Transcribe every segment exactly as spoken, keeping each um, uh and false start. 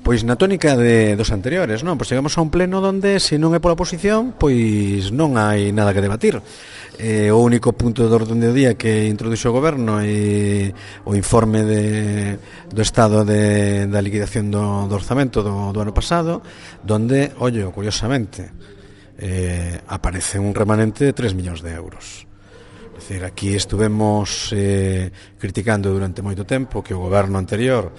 Pois na tónica de dos anteriores, non? Pois chegamos a un pleno onde, se non é pola oposición, pois non hai nada que debatir. Eh, o único punto de orden do día que introduxo o goberno é o informe de, do estado de, da liquidación do, do orzamento do, do ano pasado, donde, ollo, curiosamente, eh, aparece un remanente de tres millóns de euros. É dicir, aquí estuvemos eh, criticando durante moito tempo que o goberno anterior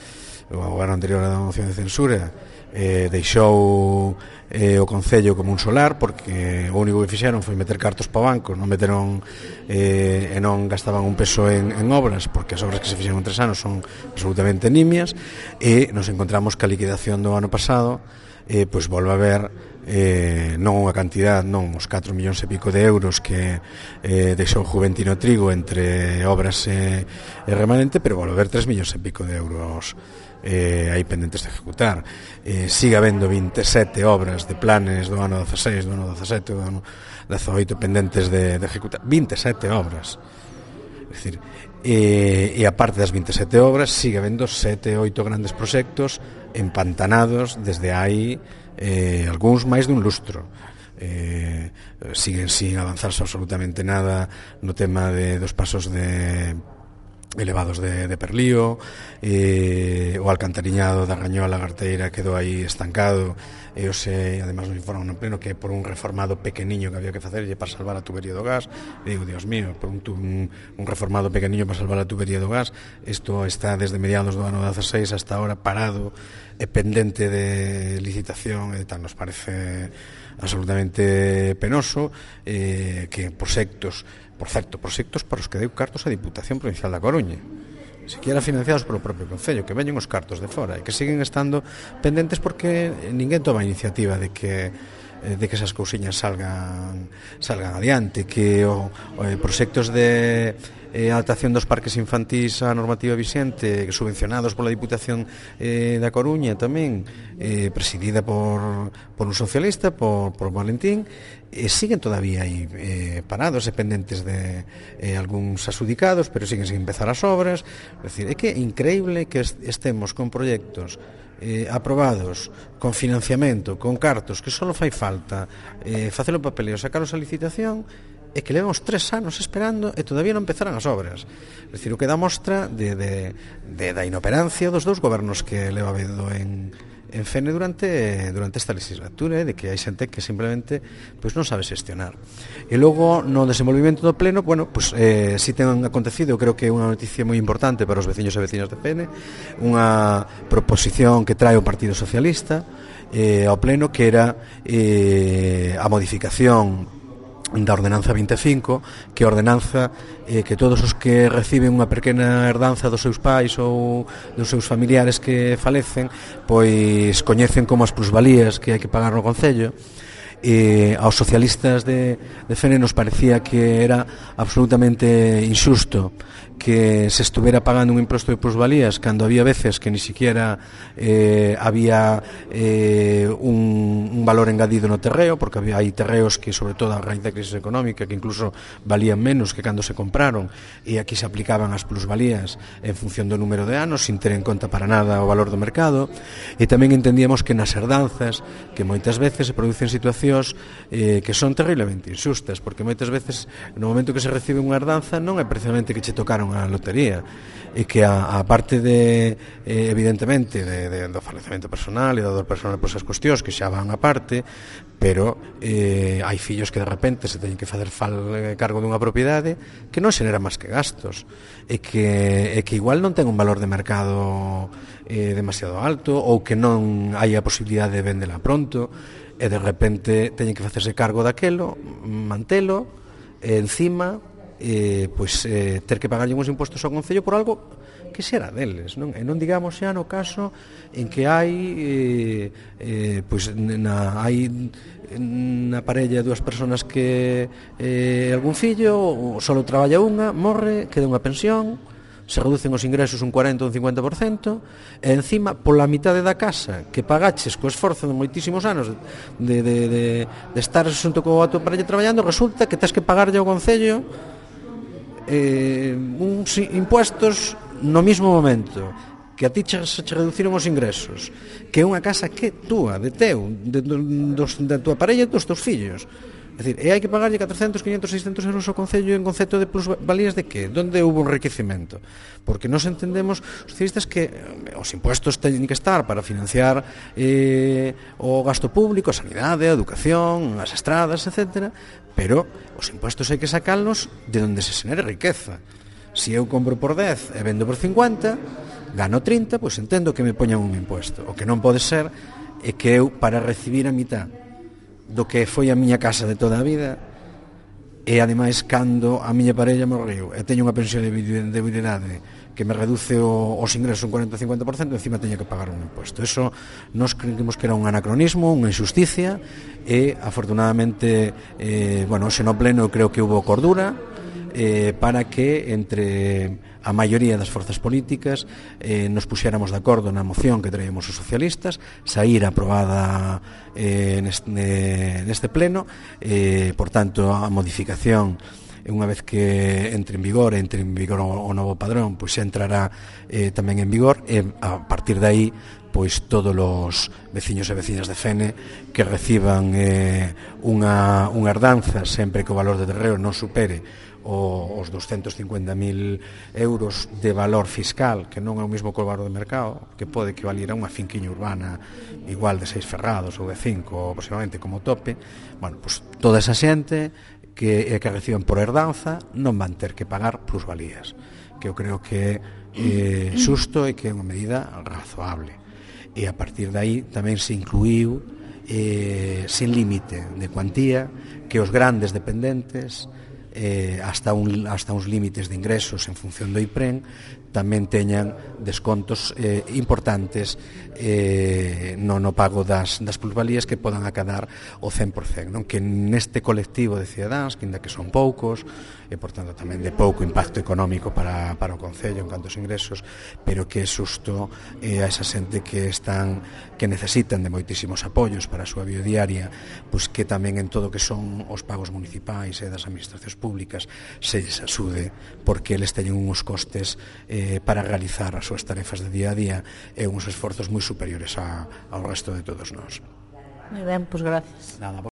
o goberno anterior a moción de censura eh, deixou eh, o Concello como un solar, porque o único que fixeron foi meter cartos para o banco, non meteron eh, e non gastaban un peso en, en obras, porque as obras que se fixeron en tres anos son absolutamente nimias, e nos encontramos que a liquidación do ano pasado eh, pois volve a ver eh, non unha cantidad, non os catro millóns e pico de euros que eh, deixou Juventino Trigo entre obras e, e remanente, pero volve a ver tres millóns e pico de euros eh, hai pendentes de ejecutar. Eh, sigue habendo vinte e sete obras de planes do ano dezaseis, do ano dezasete, do ano dezaoito pendentes de, de ejecutar. vinte e sete obras. É dicir, e, e aparte das vinte e sete obras, sigue habendo sete, oito grandes proxectos empantanados desde hai eh, algúns máis dun lustro. Eh, siguen sin avanzarse absolutamente nada no tema de, dos pasos de elevados de, de Perlío, eh, o alcantariñado da Rañola Garteira quedou aí estancado, e o se, además nos informan no pleno que por un reformado pequeniño que había que facerlle para salvar a tubería do gas. E digo, Dios mío, por un, un, un reformado pequeniño para salvar a tubería do gas, isto está desde mediados do ano dezaseis hasta ahora parado e pendente de licitación e tal. Nos parece absolutamente penoso eh, que proxectos Por certo, proxectos para os que deu cartos a Diputación Provincial da Coruña, siquiera financiados polo propio Concello, que veñen os cartos de fora e que siguen estando pendentes porque ninguén toma a iniciativa de que de que esas cousiñas salgan salgan adiante, que o, o proxectos de eh, adaptación dos parques infantís á normativa vixente, subvencionados pola Diputación eh, da Coruña tamén, eh, presidida por, por un socialista, por, por Valentín, eh, siguen todavía aí eh, parados e pendentes de eh, algúns asudicados, pero siguen sin empezar as obras. É dicir, é que é increíble que estemos con proxectos Eh, aprobados, con financiamento, con cartos, que só fai falta eh, facer o papeleo, sacaros a licitación, e que levamos tres anos esperando e todavía non empezaran as obras. É dicir, o que dá mostra de, de, de, da inoperancia dos dous gobernos que leva habido en, en Fene durante durante esta legislatura, eh, de que hai xente que simplemente pois non sabe xestionar. E logo no desenvolvimento do pleno, bueno, pois eh, si ten acontecido, creo que é unha noticia moi importante para os veciños e veciñas de Fene, unha proposición que trae o Partido Socialista eh, ao pleno, que era eh, a modificación da ordenanza vinte e cinco, que a ordenanza eh, que todos os que reciben unha pequena herdanza dos seus pais ou dos seus familiares que falecen, pois coñecen como as plusvalías que hai que pagar no Concello. E aos socialistas de, de Fene nos parecía que era absolutamente injusto que se estuviera pagando un imposto de plusvalías cando había veces que ni siquiera eh, había eh, un, un valor engadido no terreo, porque había, hai terreos que, sobre todo a raíz da crisis económica, que incluso valían menos que cando se compraron, e aquí se aplicaban as plusvalías en función do número de anos, sin ter en conta para nada o valor do mercado. E tamén entendíamos que nas herdanzas, que moitas veces se producen situacións eh, que son terriblemente injustas, porque moitas veces no momento que se recibe unha herdanza non é precisamente que che tocaron a lotería, e que a, a parte de eh, evidentemente de, de, do falecemento personal e do dor personal por esas cuestións que xa van a parte, pero eh, hai fillos que de repente se teñen que facer fal, eh, cargo dunha propiedade que non xenera máis que gastos, e que, e que igual non ten un valor de mercado eh, demasiado alto, ou que non hai a posibilidade de vendela pronto, e de repente teñen que facerse cargo daquelo, mantelo, e encima eh, pois, eh, ter que pagarlle uns impostos ao Concello por algo que xera deles, non? E non digamos xa no caso en que hai eh, eh, pois na, hai na parella dúas persoas que eh, algún fillo só traballa unha, morre, queda unha pensión, se reducen os ingresos un cuarenta ou un cincuenta por cento, e encima pola mitade da casa que pagaches co esforzo de moitísimos anos de, de, de, de estar xunto co a tua parella traballando, resulta que tens que pagarlle ao Concello eh, uns impuestos no mismo momento, que a ti che, se che reduciron os ingresos, que é unha casa que túa, de teu, de, de, dos, da tua parella e dos teus fillos. É dicir, e hai que pagarlle catrocentos, quinhentos, seiscentos euros ao Concello en concepto de plusvalías de que? Donde houve un enriquecemento? Porque nos entendemos, os socialistas, que os impuestos teñen que estar para financiar eh, o gasto público, a sanidade, a educación, as estradas, etcétera, pero os impuestos hai que sacarlos de onde se xenere riqueza. Se eu compro por dez e vendo por cincuenta, gano trinta, pois entendo que me poñan un impuesto. O que non pode ser é que eu, para recibir a mitad do que foi a miña casa de toda a vida, e ademais cando a miña parella morreu e teño unha pensión de debilidade que me reduce o, os ingresos un cuarenta a cincuenta por cento, encima teño que pagar un impuesto. Eso nos creemos que era un anacronismo, unha injusticia, e afortunadamente eh, bueno, xe no pleno creo que hubo cordura eh, para que entre a maioría das forzas políticas eh, nos puxéramos de acordo na moción que traíamos os socialistas, saíra aprobada eh, neste, neste pleno, eh, por tanto a modificación, unha vez que entre en vigor, entre en vigor o, o novo padrón, pois xa entrará eh, tamén en vigor, e a partir de aí pois todos os veciños e veciñas de Fene que reciban eh, unha, unha herdanza sempre que o valor de terreo non supere o, os doscientos cincuenta mil euros de valor fiscal, que non é o mesmo que o valor de mercado, que pode equivalir a unha finquiña urbana igual de seis ferrados ou de cinco, aproximadamente como tope. Bueno, pois toda esa xente que, que reciban por herdanza non van ter que pagar plusvalías, que eu creo que é eh, xusto e que é unha medida razoable. E a partir de aí tamén se incluíu eh, sin límite de cuantía que os grandes dependentes eh, hasta, un, hasta uns límites de ingresos en función do IPREN tamén teñan descontos eh, importantes eh, no, no pago das, das plusvalías que podan acadar o cen por cento, non? Que neste colectivo de cidadáns, que ainda que son poucos e por tanto tamén de pouco impacto económico para, para o Concello en canto aos ingresos, pero que é xusto eh, a esa xente que están que necesitan de moitísimos apoios para a súa vida diaria, pois que tamén en todo que son os pagos municipais e das administracións públicas se lles axude, porque eles teñen uns costes eh, para realizar as súas tarefas de día a día e uns esforzos moi superiores a, ao resto de todos nós. Moi ben, pois gracias. Nada,